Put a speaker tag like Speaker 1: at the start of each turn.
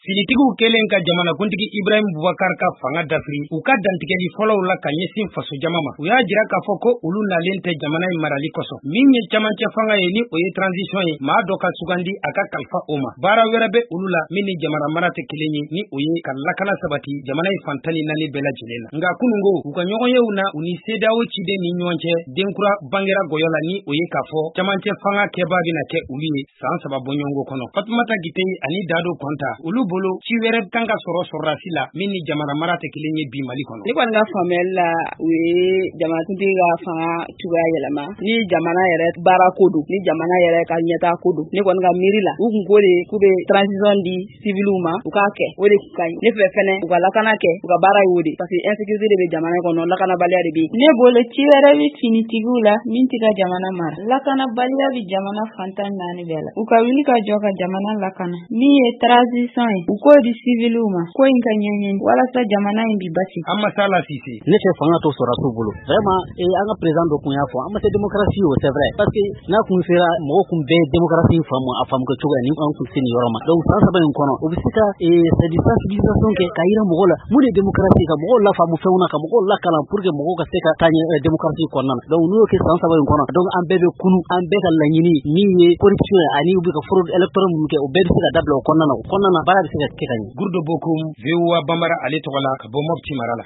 Speaker 1: Finitigiw kɛlen ka jamanakuntigi Ibrahim Boubacar ka fanga dafiri, u ka dantigɛli fɔlɔw la ka ɲɛsin fasojama ma, u y'a jira k'a fɔ ko olu nalen tɛ jamana in marali kosɔn. Min ye camancɛ fanga ye, ni o ye transition ye, maa dɔ ka sugandi a ka kalifa o ma. Baara wɛrɛ bɛ olu la min ni jamana mara tɛ kelen ye, ni o ye ka lakana sabati jamana in fan 14 bɛɛ lajɛlen na. Nka kunungo, u ka ɲɔgɔnyew na, u ni CEDEAO ciden ni ɲɔgɔn cɛ, denkura bangera gɔyɔ la, ni o ye k'a fɔ camancɛ fanga kɛbaa bɛna kɛ olu ye san 3 bɔɲɔgɔnko kɔnɔ. Fatumata Gite ani Dado Kɔnta, olu bolo ci wɛrɛ kan ka sɔrɔ sɔrɔdasi la min ni jamana mara tɛ kelen ye bi Mali kɔnɔ.
Speaker 2: Ne kɔni ka faamuyali la, u ye jamanakuntigi ka fanga cogoya yɛlɛma. Ni jamana yɛrɛ baara ko don, ni jamana yɛrɛ ka ɲɛtaa ko don, ne kɔni ka miiri la, u kun ko de k'u bɛ transition di civiliw ma, u k'a kɛ, o de kun ka ɲi. Ne fɛ fɛnɛ, u ka lakana kɛ, u ka baara y'o de, parce que insécurité de bɛ jamana kɔnɔ, lakanabaliya de bɛ yen.
Speaker 3: Ne bolo, ci wɛrɛ bɛ finitigiw la min tɛ ka jamana mara. Lakanabaliya bɛ jamana fan 14 bɛɛ la. U ka wuli ka jɔ ka jamana lakana. Min ye transition ye, u k'o di civiliw ma, ko in ka ɲɛɲini walasa jamana in bi basigi.
Speaker 1: An Masala Sise.
Speaker 4: Ne fɛ fanga to sɔrɔdasiw bolo. Vraiment, an ka président dɔ kun y'a fɔ, an ma se démocratie o, c'est vrai, parce que n'a kun sera mɔgɔw kun bɛɛ démocratie faamu a faamu kɛ cogo ni an kun se nin yɔrɔ ma. Donc san 3 in kɔnɔ, o bɛ se ka c'est du sensibilisation kɛ k'a yira mɔgɔw la mun de ye démocratie, ka mɔgɔw lafaamu fɛnw na, ka mɔgɔw lakalan pour que mɔgɔw ka se ka taa ɲɛ démocratie kɔnɔna na. Donc n'u y'o kɛ san 3 in kɔnɔ, donc an bɛɛ bɛ kunu, an bɛɛ ka laɲini min ye corruption ye ani u bɛ ka fraude électorale minnu kɛ, o bɛɛ bɛ se ka dabila o kɔnɔna na. O kɔnɔna na, baara bɛ se ka kɛ ka ɲɛ.
Speaker 1: Gurdo Bokum, VOA Bambara ale tɔgɔ la, ka bɔ Mopti mara la.